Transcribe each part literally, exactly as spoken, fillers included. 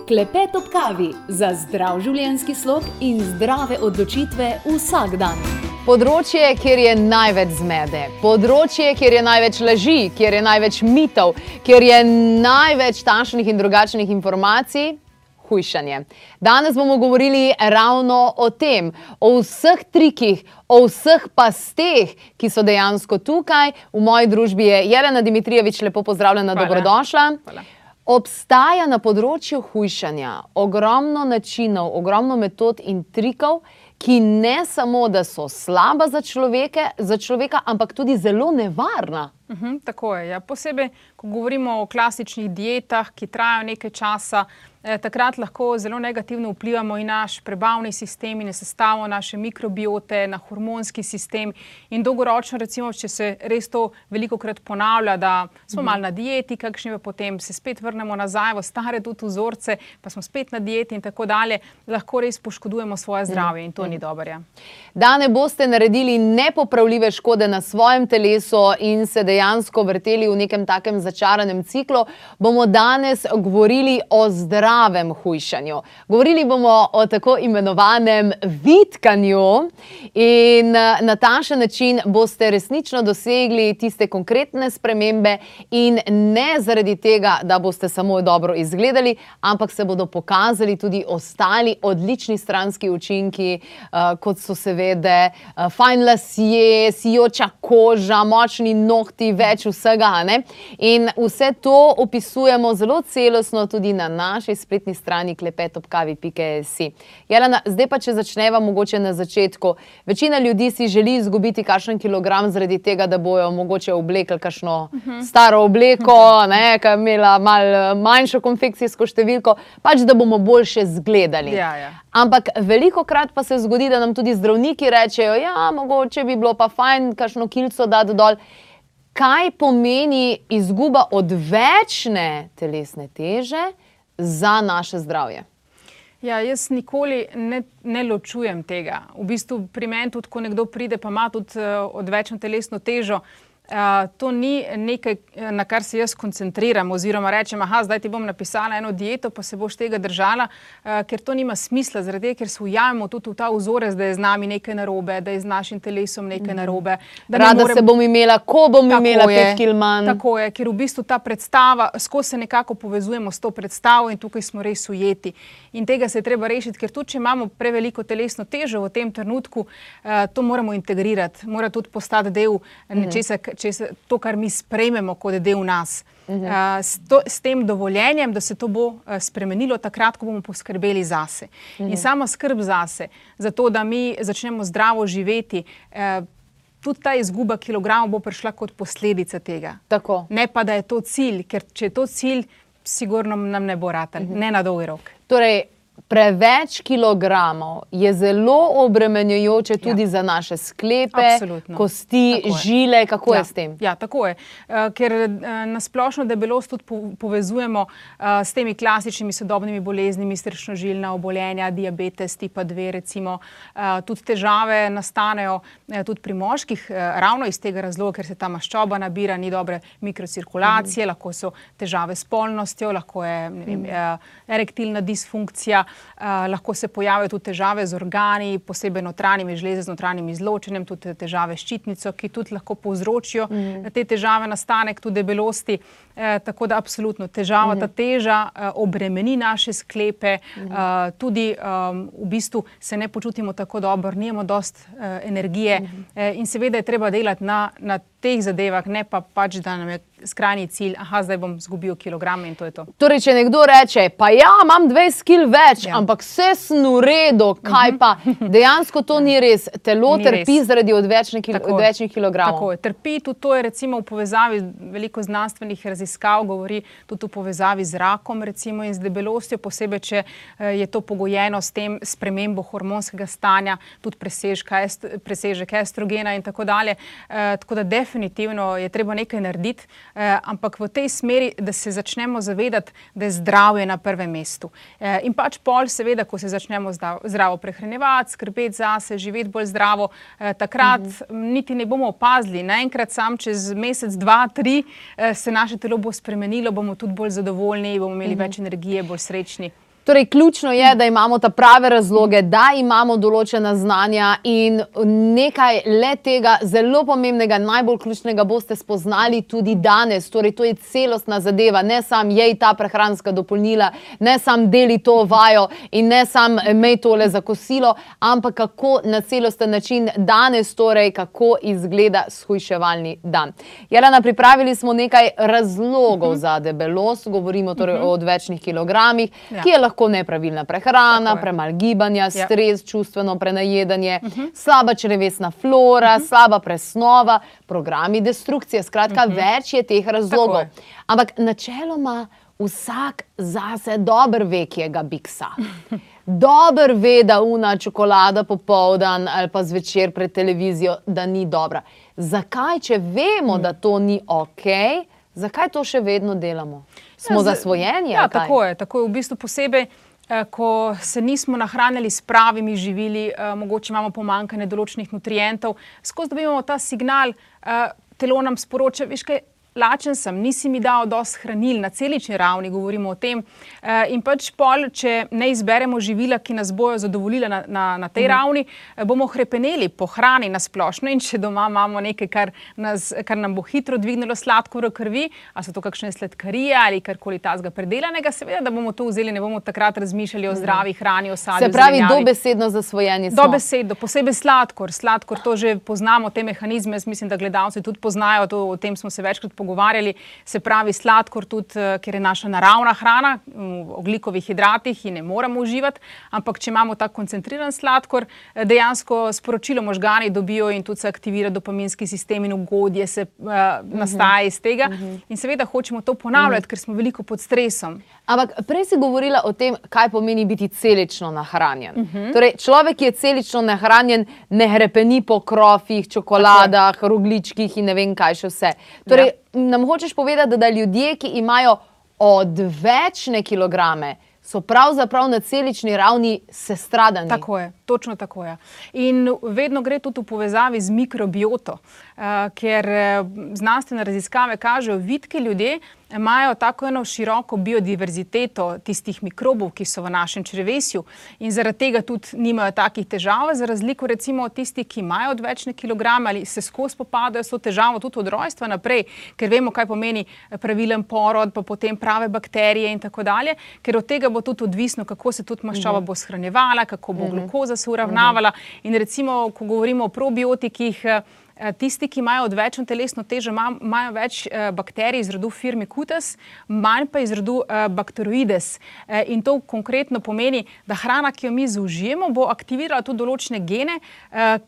Klepet ob kavi za zdrav življenjski slog in zdrave odločitve vsak dan. Področje, kjer je največ zmede, področje, kjer je največ laži, kjer je največ mitov, kjer je največ takšnih in drugačnih informacij, hujšanje. Danes bomo govorili ravno o tem, o vseh trikih, o vseh pasteh, ki so dejansko tukaj. V moji družbi je Jelena Dimitrijevič, lepo pozdravljena, Hvala. dobrodošla. Hvala. Obstaja na področju hujšanja ogromno načinov, ogromno metod in trikov, ki ne samo, da so slaba za človeke, za človeka, ampak tudi zelo nevarna. Uhum, tako je. Ja. Posebej, ko govorimo o klasičnih dietah, ki trajajo nekaj časa, eh, takrat lahko zelo negativno vplivamo in naš prebavni sistem in sestavo naše mikrobiote, na hormonski sistem in dolgoročno, recimo, če se res to velikokrat ponavlja, da smo malo na dieti, kakšni pa potem se spet vrnemo nazaj v stare tudi vzorce, pa smo spet na dieti in tako dalje, lahko res poškodujemo svoje zdravje in to ni dobro. Ja. Da ne boste naredili nepopravljive škode na svojem telesu in se dejansko vrteli v nekem takem začaranem ciklu, bomo danes govorili o zdravem hujšanju. Govorili bomo o tako imenovanem vitkanju in na takšen način boste resnično dosegli tiste konkretne spremembe in ne zaradi tega, da boste samo dobro izgledali, ampak se bodo pokazali tudi ostali odlični stranski učinki, kot so seveda fajn lasje, sijoča koža, močni nohti, več vsega. Ne? In vse to opisujemo zelo celostno tudi na naši spletni strani klepet ob kavi pika si. Jelena, zdaj pa če začneva mogoče na začetku. Večina ljudi si želi izgubiti kakšen kilogram zaradi tega, da bojo mogoče oblekli kakšno uh-huh. staro obleko, uh-huh. ne, ki je imela malo manjšo konfekcijsko številko, pač da bomo boljše zgledali. Ja, ja. Ampak velikokrat pa se zgodi, da nam tudi zdravniki rečejo, ja, mogoče bi bilo pa fajn kakšno kilco dati dol. Kaj pomeni izguba odvečne telesne teže za naše zdravje? Ja, jaz nikoli ne, ne ločujem tega. V bistvu pri meni tudi, ko nekdo pride, pa ima tudi uh, odvečno telesno težo, Uh, to ni nekaj, na kar se jaz koncentriram oziroma rečem, aha, zdaj ti bom napisala eno dieto, pa se boš tega držala, uh, ker to nima smisla, zaradi tega, ker se ujamemo tudi v ta vzorec, da je z nami nekaj narobe, da je z našim telesom nekaj narobe. Da Rada more... se bom imela, ko bom tako imela je, pet kil manj. Tako je, ker v bistvu ta predstava, skozi se nekako povezujemo s to predstavo in tukaj smo res ujeti. In tega se je treba rešiti, ker tudi, če imamo preveliko telesno težo v tem trenutku, uh, to moramo integrirati, mora tudi postati del nečesa, če se to, kar mi sprejmemo kot del nas. Uh-huh. Uh, s, to, s tem dovoljenjem, da se to bo uh, spremenilo takrat, ko bomo poskrbeli zase. Uh-huh. In sama skrb zase, za to, da mi začnemo zdravo živeti, uh, tudi ta izguba kilogramov bo prišla kot posledica tega. Tako. Ne pa, da je to cilj, ker če je to cilj, sigurno nam ne bo ratal, uh-huh. ne na dolgi rok. Torej, preveč kilogramov je zelo obremenjujoče tudi ja. za naše sklepe, Absolutno. kosti, Tako žile, kako ja. je s tem? Ja, tako je. Uh, ker uh, na splošno debelost tudi po povezujemo uh, s temi klasičnimi sodobnimi boleznimi, srčno-žilna obolenja, diabetes tipa dve recimo. Uh, tudi težave nastanejo uh, tudi pri moških, uh, ravno iz tega razloga, ker se ta maščoba nabira, ni dobre mikrocirkulacije, mm. lahko so težave s polnostjo, lahko je ne vem, mm. uh, erektilna disfunkcija, Uh, lahko se pojavijo tudi težave z organi, posebej notranjimi žleze z notranjim izločenjem, tudi težave s ščitnico, ki tudi lahko povzročijo mm. te težave, nastanek tudi debelosti. Uh, tako da absolutno težava, mm. ta teža uh, obremeni naše sklepe, mm. uh, tudi um, v bistvu se ne počutimo tako dobro, nimamo dost uh, energije mm. uh, in seveda je treba delati na, na teh zadevah, ne pa pač, da nam je skrajni cilj, aha, zdaj bom zgubil kilograme in to je to. Torej, če nekdo reče, pa ja, imam dvajset kil več, ja. ampak vse sem v redu, kaj pa? Dejansko to ni res. Telo ni trpi res. zaradi odvečnih, kil odvečnih kilogramov. Tako je. Trpi tudi to je recimo v povezavi, veliko znanstvenih raziskav govori tudi v povezavi z rakom recimo in z debelostjo, posebej, če je to pogojeno s tem spremembo hormonskega stanja, tudi presežka, est, presežek estrogena in tako dalje. E, tako da definitivno je treba nekaj narediti, e, ampak v tej smeri, da se začnemo zavedati, da je zdravje na prvem mestu. E, in pač pol seveda, ko se začnemo zdravo, zdravo prehranjevati, skrbeti zase, živeti bolj zdravo, e, takrat mm-hmm. niti ne bomo opazili. Naenkrat sam čez mesec, dva, tri e, se naše telo bo spremenilo, bomo tudi bolj zadovoljni, bomo imeli mm-hmm. več energije, bolj srečni. Torej, ključno je, da imamo ta prave razloge, da imamo določena znanja in nekaj le tega zelo pomembnega, najbolj ključnega boste spoznali tudi danes. Torej, to je celostna zadeva, ne sam jej ta prehranska dopolnila, ne sam deli to vajo in ne sam imej tole za kosilo, ampak kako na celosten način danes, torej, kako izgleda shujševalni dan. Jelena, pripravili smo nekaj razlogov uh-huh. za debelost, govorimo torej uh-huh. o odvečnih kilogramih, ja. ki je lahko nepravilna prehrana, premalo gibanja, stres, ja. čustveno prenajedanje, uh-huh. slaba črevesna flora, uh-huh. slaba presnova, programi destrukcije. Skratka, uh-huh. več je teh razlogov. Je. Ampak načeloma vsak zase dober ve, kjega biksa. Dober ve, da una čokolada popoldan ali pa zvečer pred televizijo, da ni dobra. Zakaj, če vemo, da to ni okej, zakaj to še vedno delamo? Smo ja, zasvojeni? Ja, tako je. Tako je v bistvu posebej, eh, ko se nismo nahranili s pravimi živili, eh, mogoče imamo pomanjkanje določenih nutrientov, skozi dobivamo ta signal, eh, telo nam sporoča, veš kaj, lačen sem, nisi mi dal dosti hranil, na celični ravni govorimo o tem. E, in pač pol, če ne izberemo živila, ki nas bojo zadovoljila na, na, na tej mm. ravni, bomo hrepeneli po hrani na splošno in če doma imamo nekaj, kar, nas, kar nam bo hitro dvignilo sladkor v krvi, a so to kakšne sladkarije ali karkoli tazga predelanega, seveda, da bomo to vzeli, ne bomo takrat razmišljali o zdravi hrani, o sadju, se pravi, dobesedno zasvojeni smo. Dobesedno, posebej sladkor. Sladkor, to že poznamo, te mehanizme, mislim, da gledalci tudi poznajo, to, o tem smo se večkrat pogovarjali, se pravi sladkor tudi, ker je naša naravna hrana, v ogljikovih hidratih in ne moramo uživati, ampak če imamo tak koncentriran sladkor, dejansko sporočilo možgani dobijo in tudi se aktivira dopaminski sistem in ugodje se uh, nastaja iz tega. Uh-huh. In seveda hočemo to ponavljati, uh-huh. ker smo veliko pod stresom. Ampak prej si govorila o tem, kaj pomeni biti celično nahranjen. Uh-huh. Torej, človek, ki je celično nahranjen, ne hrepeni po krofih, čokoladah, rogličkih in ne vem kaj še vse. Torej, ja. Nam hočeš povedati, da ljudje, ki imajo odvečne kilograme, so pravzaprav na celični ravni sestradani. Tako je, točno tako je. In vedno gre tudi v povezavi z mikrobioto, uh, ker znanstvene raziskave kažejo, vitki ljudje imajo tako eno široko biodiverziteto tistih mikrobov, ki so v našem črevesju in zaradi tega tudi nimajo takih težav, za razliko recimo od tistih, ki imajo odvečne kilograme ali se skozi popadajo s to težavo tudi od rojstva naprej, ker vemo, kaj pomeni pravilen porod, pa potem prave bakterije in tako dalje, ker od tega bo tudi odvisno, kako se tudi maščoba bo shranjevala, kako bo glukoza se uravnavala in recimo, ko govorimo o probiotikih, tisti, ki imajo odvečno telesno težo, imajo več bakterij iz rodu Firmicutes, manj pa iz rodu Bacteroides. In to konkretno pomeni, da hrana, ki jo mi zaužijemo, bo aktivirala tudi določene gene,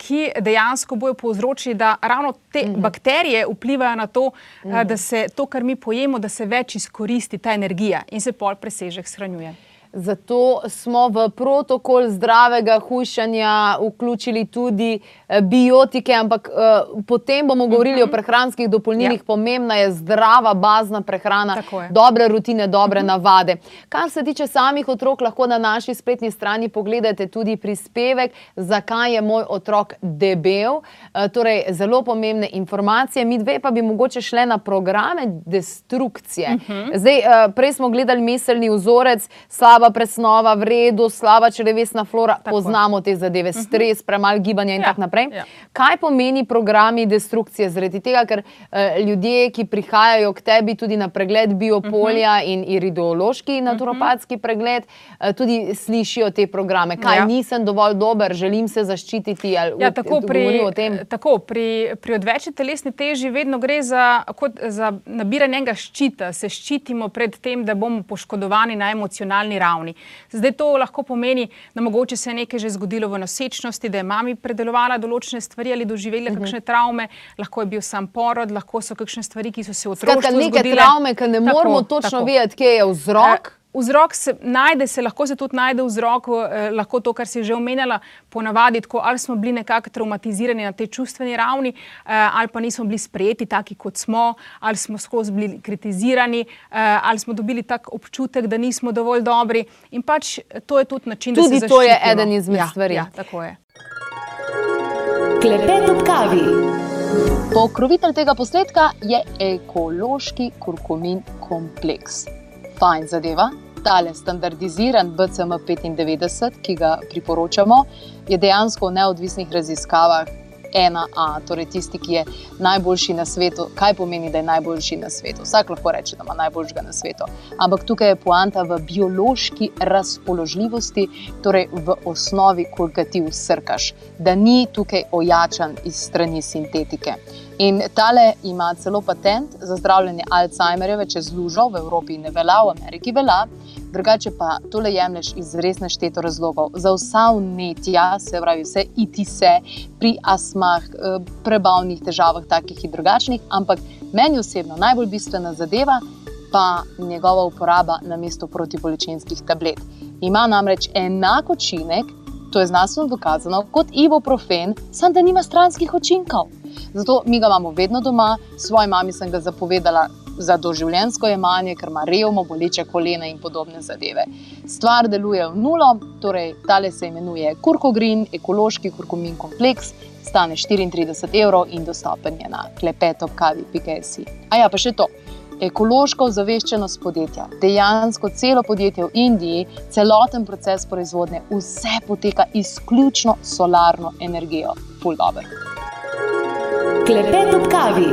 ki dejansko bojo povzročili, da ravno te mm-hmm. bakterije vplivajo na to, mm-hmm. da se to, kar mi pojemo, da se več izkoristi ta energija in se pol presežek shranjuje. Zato smo v protokol zdravega hujšanja vključili tudi biotike, ampak uh, potem bomo govorili uh-huh. o prehranskih dopolnilih. Ja. Pomembna je zdrava, bazna prehrana, dobre rutine, dobre uh-huh. navade. Kar se tiče samih otrok, lahko na naši spletni strani pogledate tudi prispevek, zakaj je moj otrok debel. Uh, torej, zelo pomembne informacije. Mi dve pa bi mogoče šle na programe destrukcije. Uh-huh. Zdaj, uh, prej smo gledali miselni vzorec, slaba presnova, v redu, slaba črevesna flora, tako. Poznamo te zadeve, stres, premalo gibanja in ja. tako naprej. Ja. Kaj pomeni programi destrukcije? Zaradi tega, ker uh, ljudje, ki prihajajo k tebi tudi na pregled biopolja uh-huh. in irideološki naturopatski uh-huh. pregled, uh, tudi slišijo te programe. Kaj ja. nisem dovolj dober, želim se zaščititi, ali ja, tako pri, o tem? Tako, pri, pri odvečni telesni teži vedno gre za, kot, za nabiranje enega ščita. Se ščitimo pred tem, da bomo poškodovani na emocionalni ravni. Zdaj to lahko pomeni, da mogoče se je nekaj že zgodilo v nosečnosti, da je mami predelovala določene stvari ali doživela uh-huh. kakšne travme, lahko je bil sam porod, lahko so kakšne stvari, ki so se v otroštvu zgodile. Skratka, neke travme, ki ne tako, moramo točno tako. vedeti, kje je vzrok. E, Vzrok se najde, se lahko se tudi najde vzrok, eh, lahko to, kar si že omenjala, ponavadi tako, ali smo bili nekako traumatizirani na tej čustveni ravni, eh, ali pa nismo bili sprejeti taki, kot smo, ali smo skozi bili kritizirani, eh, ali smo dobili tak občutek, da nismo dovolj dobri. In pač to je tudi način, tudi da se zaščitimo. Tudi to je eden izmed ja, stvari. Ja, tako je. Klepet ob kavi. Pokrovitelj tega posnetka je ekološki kurkumin kompleks. Fajn zadeva, tale standardiziran B C M petindevetdeset, ki ga priporočamo, je dejansko v neodvisnih raziskavah ena A, torej tisti, ki je najboljši na svetu. Kaj pomeni, da je najboljši na svetu? Vsak lahko reče, da ima najboljšega na svetu. Ampak tukaj je poanta v biološki razpoložljivosti, torej v osnovi, koliko ti vsrkaš, da ni tukaj ojačan iz strani sintetike. In tale ima celo patent za zdravljenje Alzheimerjeve čez lužo, v Evropi ne velja, v Ameriki velja, drugače pa tole jemlješ iz res nešteto razlogov. Za vsa vnetja, se pravi vse itise, pri astmah, prebavnih težavah, takih in drugačnih, ampak meni osebno najbolj bistvena zadeva pa njegova uporaba namesto protibolečinskih tablet. Ima namreč enak učinek, to je znanstveno dokazano, kot ibuprofen, samo da nima stranskih učinkov. Zato mi ga imamo vedno doma, svoji mami sem ga zapovedala za doživljenjsko jemanje, ker ima revmo, boleče kolena in podobne zadeve. Stvar deluje v nulo, torej tale se imenuje Kurkogreen, ekološki kurkumin kompleks, stane štiriintrideset evrov in dostopen je na klepet ob kavi pika si. A ja, pa še to. Ekološka ozaveščenost podjetja. Dejansko celo podjetje v Indiji, celoten proces proizvodnje, vse poteka izključno solarno energijo. Ful dober. Klepet ob kavi.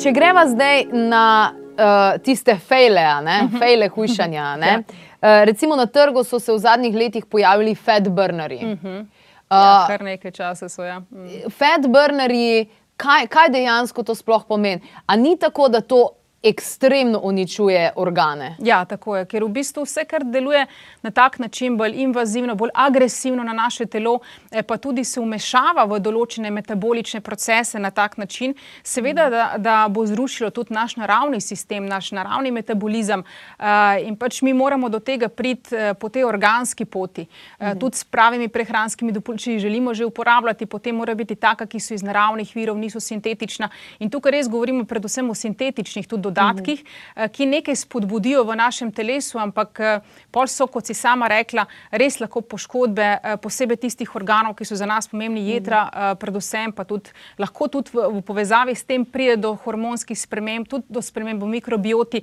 Če greva zdaj na uh, tiste fejle, ne? fejle hujšanja, ne? Uh, recimo na trgu so se v zadnjih letih pojavili fat burnerji. Uh -huh. Ja, kar nekaj časa so, ja. Mm. Fat burnerji, kaj, kaj dejansko to sploh pomeni? A ni tako, da to ekstremno uničuje organe? Ja, tako je, ker v bistvu vse, kar deluje na tak način, bolj invazivno, bolj agresivno na naše telo, pa tudi se vmešava v določene metabolične procese na tak način, seveda, da, da bo zrušilo tudi naš naravni sistem, naš naravni metabolizem in pač mi moramo do tega priti po tej organski poti. Mhm. Tudi s pravimi prehranskimi dopolnili želimo že uporabljati, potem mora biti taka, ki so iz naravnih virov, niso sintetična. In tukaj res govorimo predvsem o sintetičnih, tudi dodatkih, mm. ki nekaj spodbudijo v našem telesu, ampak pol so, kot si sama rekla, res lahko poškodbe, posebej tistih organov, ki so za nas pomembni, jedra, mm. predvsem pa tudi, lahko tudi v, v povezavi s tem pride do hormonskih sprememb, tudi do sprememb v mikrobioti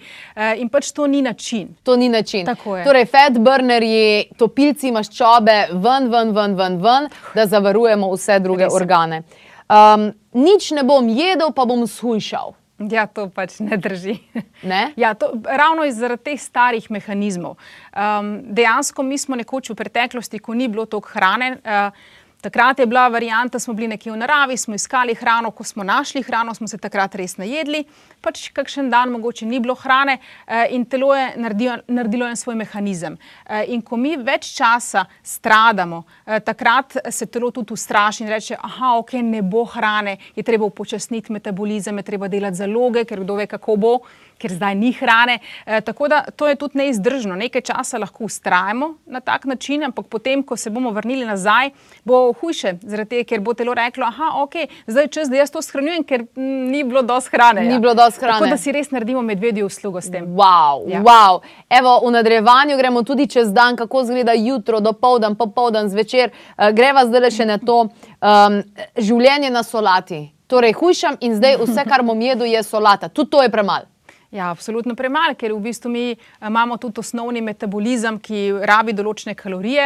in pač to ni način. To ni način. Tako je. Torej, fat burnerji, topilci maščobe, ven, ven, ven, ven, ven, da zavarujemo vse druge res organe. Um, nič ne bom jedel, pa bom shujšal. Ja, to pač ne drži. Ne? Ja, to, ravno zaradi teh starih mehanizmov. Um, dejansko mi smo nekoč v preteklosti, ko ni bilo toliko hrane, uh, takrat je bila varianta, smo bili nekje v naravi, smo iskali hrano, ko smo našli hrano, smo se takrat res najedli, pač kakšen dan mogoče ni bilo hrane uh, in telo je naredilo, naredilo en svoj mehanizem. Uh, in ko mi več časa stradamo, uh, takrat se telo tudi ustraši in reče, aha, ok, ne bo hrane, je treba upočasniti metabolizem, je treba delati zaloge, ker kdo ve, kako bo, ker zdaj ni hrane. E, tako da to je tudi neizdržno. Nekaj časa lahko ustrajamo na tak način, ampak potem, ko se bomo vrnili nazaj, bo hujše, zaradi tega, ker bo telo reklo, aha, ok, zdaj je čas, da jaz to shranjujem, ker m, ni bilo dosti hrane. Ni ja. bilo dosti hrane. Tako da si res naredimo medvedjo uslugo s tem. Wow, ja. wow. Evo, v nadaljevanju gremo tudi čez dan, kako izgleda jutro, dopoldan, popoldan, zvečer. Uh, greva zdaj še na to um, življenje na solati. Torej, hujšam in zdaj vse, kar bom jedel, je solata. Tudi to je premalo. Ja, absolutno premalo, ker v bistvu mi imamo tudi osnovni metabolizem, ki rabi določene kalorije,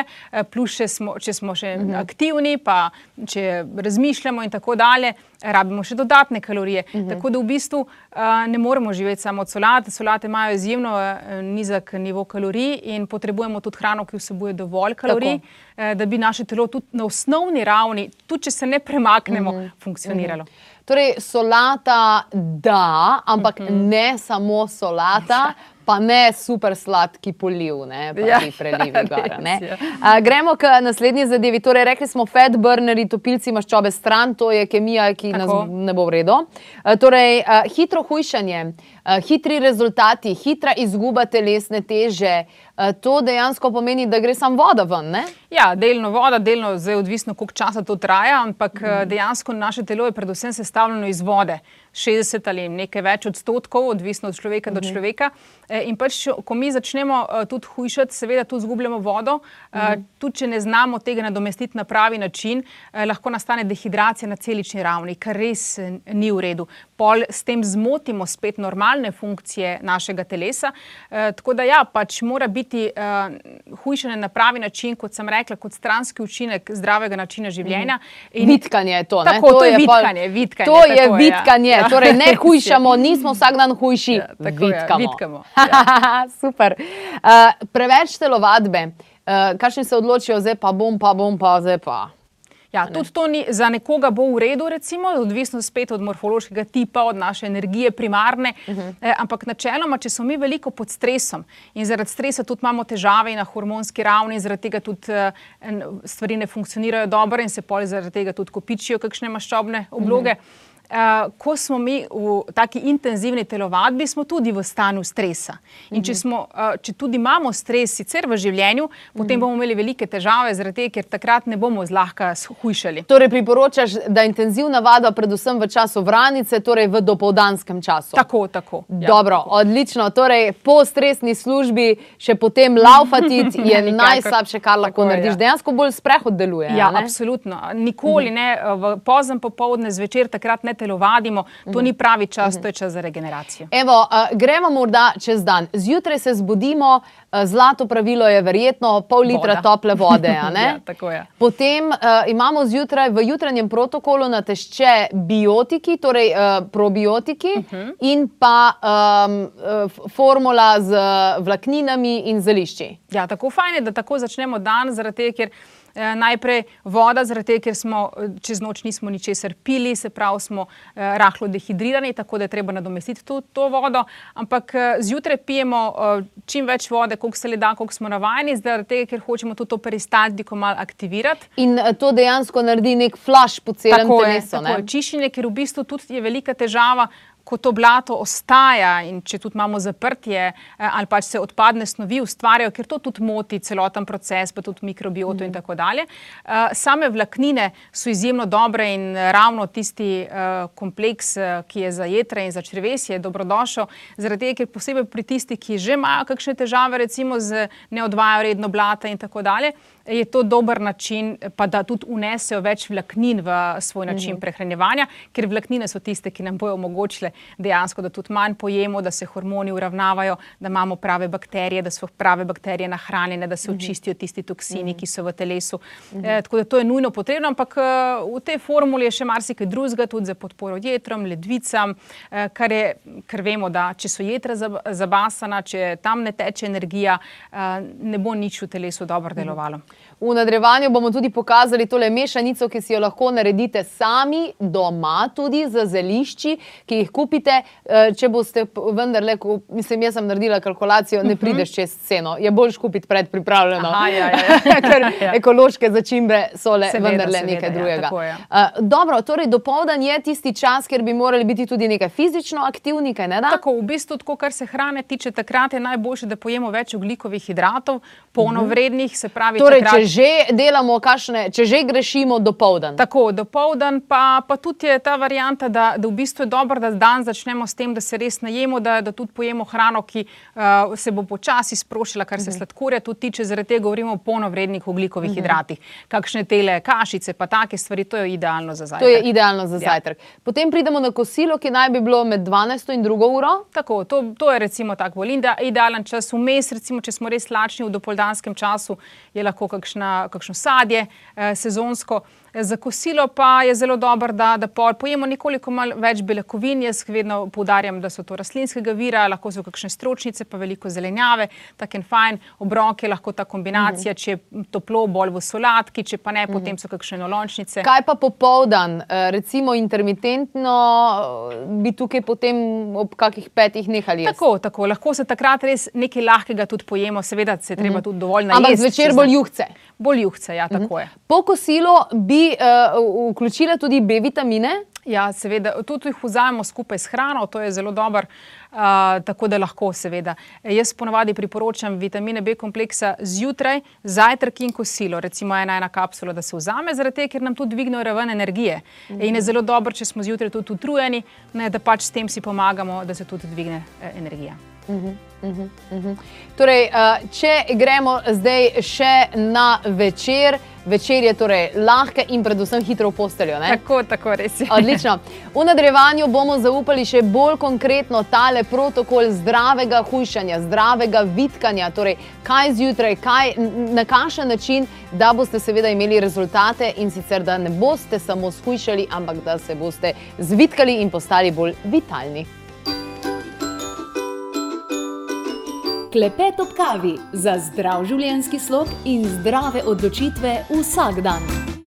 plus če smo, če smo še uh-huh. aktivni, pa če razmišljamo in tako dalje, rabimo še dodatne kalorije. Uh-huh. Tako da v bistvu uh, ne moremo živeti samo od solate. Solate imajo izjemno uh, nizek nivo kalorij in potrebujemo tudi hrano, ki vsebuje dovolj kalorij, uh, da bi naše telo tudi na osnovni ravni, tudi če se ne premaknemo, uh-huh. funkcioniralo. Uh-huh. Torej, solata da, ampak uh-huh. ne samo solata, pa ne super sladki poliv, ne, pa ja, ti prelivi gara, ne. A, gremo k naslednji zadevi. Torej, rekli smo fat burnerji, topilci maščobe stran, to je kemija, ki tako nas ne bo v redu. A, torej, a, hitro hujšanje, a, hitri rezultati, hitra izguba telesne teže, a, to dejansko pomeni, da gre samo voda ven, ne? Ja, delno voda, delno zdaj odvisno, koliko časa to traja, ampak mm. dejansko naše telo je predvsem sestavljeno iz vode. šestdeset ali nekaj več odstotkov, odvisno od človeka mm. do človeka. In pač, ko mi začnemo tudi hujšati, seveda tudi zgubljamo vodo, mm. tudi če ne znamo tega nadomestiti na pravi način, lahko nastane dehidracija na celični ravni, kar res ni v redu. pol s tem zmotimo spet normalne funkcije našega telesa. E, tako da ja, pač mora biti uh, hujšanje na pravi način, kot sem rekla, kot stranski učinek zdravega načina življenja. In vitkanje je to, ne? Tako, to, to je vitkanje, pol, vitkanje. To je tako, vitkanje, ja. torej ne hujšamo, nismo vsak dan hujši, ja, tako, vitkamo. Ja, vitkamo. Ja. Super. Uh, preveč telovadbe, uh, kakšni se odločijo, zdaj pa bom, pa bom, pa zdaj pa. Ja, tudi to ni, za nekoga bo v redu, recimo, odvisno spet od morfološkega tipa, od naše energije primarne, uh -huh. eh, ampak načeloma, če smo mi veliko pod stresom in zaradi stresa tudi imamo težave na hormonski ravni in zaradi tega tudi eh, stvari ne funkcionirajo dobro in se pol zaradi tega tudi kopičijo kakšne maščobne obloge. Uh -huh. Uh, ko smo mi v taki intenzivni telovadbi, smo tudi v stanju stresa. In če, smo, uh, če tudi imamo stres sicer v življenju, potem bomo imeli velike težave, zaradi tega, ker takrat ne bomo zlahka hujšali. Torej priporočaš, da intenzivna vadba predvsem v času vranice, torej v dopoldanskem času. Tako, tako. Ja, Dobro, tako. Odlično. Torej po stresni službi še potem laufati je najslabše, kar lahko narediš. Ja. Dejansko bolj sprehod deluje. Ja, ne? absolutno. Nikoli uh -huh. ne, v pozem popoldne, zvečer takrat ne telovadimo, to uh-huh. ni pravi čas, uh-huh. to je čas za regeneracijo. Evo, uh, gremo morda čez dan. Zjutraj se zbudimo, uh, zlato pravilo je verjetno pol litra Voda. tople vode, a ne? Ja, tako je. Potem uh, imamo zjutraj v jutranjem protokolu natešče biotiki, torej uh, probiotiki uh-huh. in pa um, uh, formula z vlakninami in zelišči. Ja, tako fajn je, da tako začnemo dan, zaradi tega, ker Eh, najprej voda, zaradi tega, ker smo čez noč nismo ničesar pili, se pravi smo eh, rahlo dehidrirani, tako da je treba nadomestiti to, to vodo, ampak eh, zjutraj pijemo eh, čim več vode, koliko se le da, koliko smo navajeni, zaradi tega, ker hočemo tudi to peristaltiko malo aktivirati. In eh, to dejansko naredi nek flash po celem tako telesu. Je, tako je, čiščenje, ker v bistvu tudi je velika težava, ko to blato ostaja in če tudi imamo zaprtje ali pač se odpadne snovi ustvarjajo, ker to tudi moti celoten proces, pa tudi mikrobioto mm. in tako dalje. Same vlaknine so izjemno dobre in ravno tisti kompleks, ki je za jetra in za črevesje, je dobrodošel, zaradi tega, ker posebej pri tistih, ki že imajo kakšne težave, recimo z ne odvajajo redno blata in tako dalje, je to dober način, pa da tudi unesejo več vlaknin v svoj način mm. prehranjevanja, ker vlaknine so tiste, ki nam bojo omogočile dejansko, da tudi manj pojemo, da se hormoni uravnavajo, da imamo prave bakterije, da so prave bakterije nahranjene, da se očistijo tisti toksini, ki so v telesu. E, tako da to je nujno potrebno, ampak v tej formuli je še marsikaj drugega, tudi za podporo jetrom, ledvicam, kar je, ker vemo, da če so jetra zabasana, če tam ne teče energija, ne bo nič v telesu dobro delovalo. V nadaljevanju bomo tudi pokazali tole mešanico, ki si jo lahko naredite sami doma, tudi z zelišči, ki jih kupite. Če boste vendarle, mislim, jaz sem naredila kalkulacijo, ne prideš čez ceno. Je boljš kupiti predpripravljeno. Aha, ja, ja, ja. Ker ekološke začimbe so le Seveda, vendarle seveda, nekaj ja, drugega. tako je. Dobro, torej dopoldan je tisti čas, kjer bi morali biti tudi nekaj fizično aktivni, kaj ne da? Tako, v bistvu, tako, kar se hrane tiče, takrat je najboljše, da pojemo več ogljikovih hidratov, polnovrednih, se pravi torej, takrat... če že delamo kakšne, če že grešimo dopoldan. Tako, dopoldan pa, pa tudi je ta varianta, da, da v bistvu je dobro, da dan začnemo s tem, da se res najemo, da, da tudi pojemo hrano, ki uh, se bo počasi sprošila, kar se sladkorja tudi tiče, zaradi tega govorimo o polnovrednih ogljikovih hidratih. Kakšne tele kašice, pa take stvari, to je idealno za zajtrk. To je idealno za zajtrk. Ja. Potem pridemo na kosilo, ki naj bi bilo med dvanajsto in drugo uro. Tako, to, to je recimo tak bolj idealen čas. Vmes, recimo, če smo res lačni v dopoldanskem času, je lahko kakšna, kakšno sadje eh, sezonsko. Za kosilo pa je zelo dobro, da, da pojemo nekoliko malo več beljakovin. Jaz vedno poudarjam, da so to rastlinskega vira, lahko so kakšne stročnice, pa veliko zelenjave, tak en fajn obrok je lahko ta kombinacija, če je toplo, bolj v solatki, če pa ne, potem so kakšne nolončnice. Kaj pa popoldan? Recimo intermitentno bi tukaj potem ob kakih petih nehali jesti? Tako, tako. Lahko se takrat res nekaj lahkega tudi pojemo, seveda se treba tudi dovolj najesti. Ampak zvečer bolj juhce? Bolj juhce, ja, tako je. Po kosilu bi uh, vključila tudi B vitamine? Ja, seveda. Tudi jih vzamemo skupaj s hrano, to je zelo dobro, uh, tako da lahko seveda. Jaz ponavadi priporočam vitamine B kompleksa zjutraj, zajtrk in kosilo, recimo ena ena kapsula, da se vzame, zaradi tega, ker nam tudi dvignejo raven energije. Mm-hmm. In je zelo dobro, če smo zjutraj tudi utrujeni, ne, da pač s tem si pomagamo, da se tudi dvigne eh, energija. Uh-huh, uh-huh, uh-huh. Torej, če gremo zdaj še na večer, večer je torej lahke in predvsem hitro v posteljo, ne? Tako, tako, res je. Odlično. V nadaljevanju bomo zaupali še bolj konkretno tale protokol zdravega hujšanja, zdravega vitkanja, torej kaj zjutraj, kaj, na kakšen način, da boste seveda imeli rezultate in sicer, da ne boste samo shujšali, ampak da se boste zvitkali in postali bolj vitalni. Klepet ob kavi za zdrav življenjski slog in zdrave odločitve vsak dan.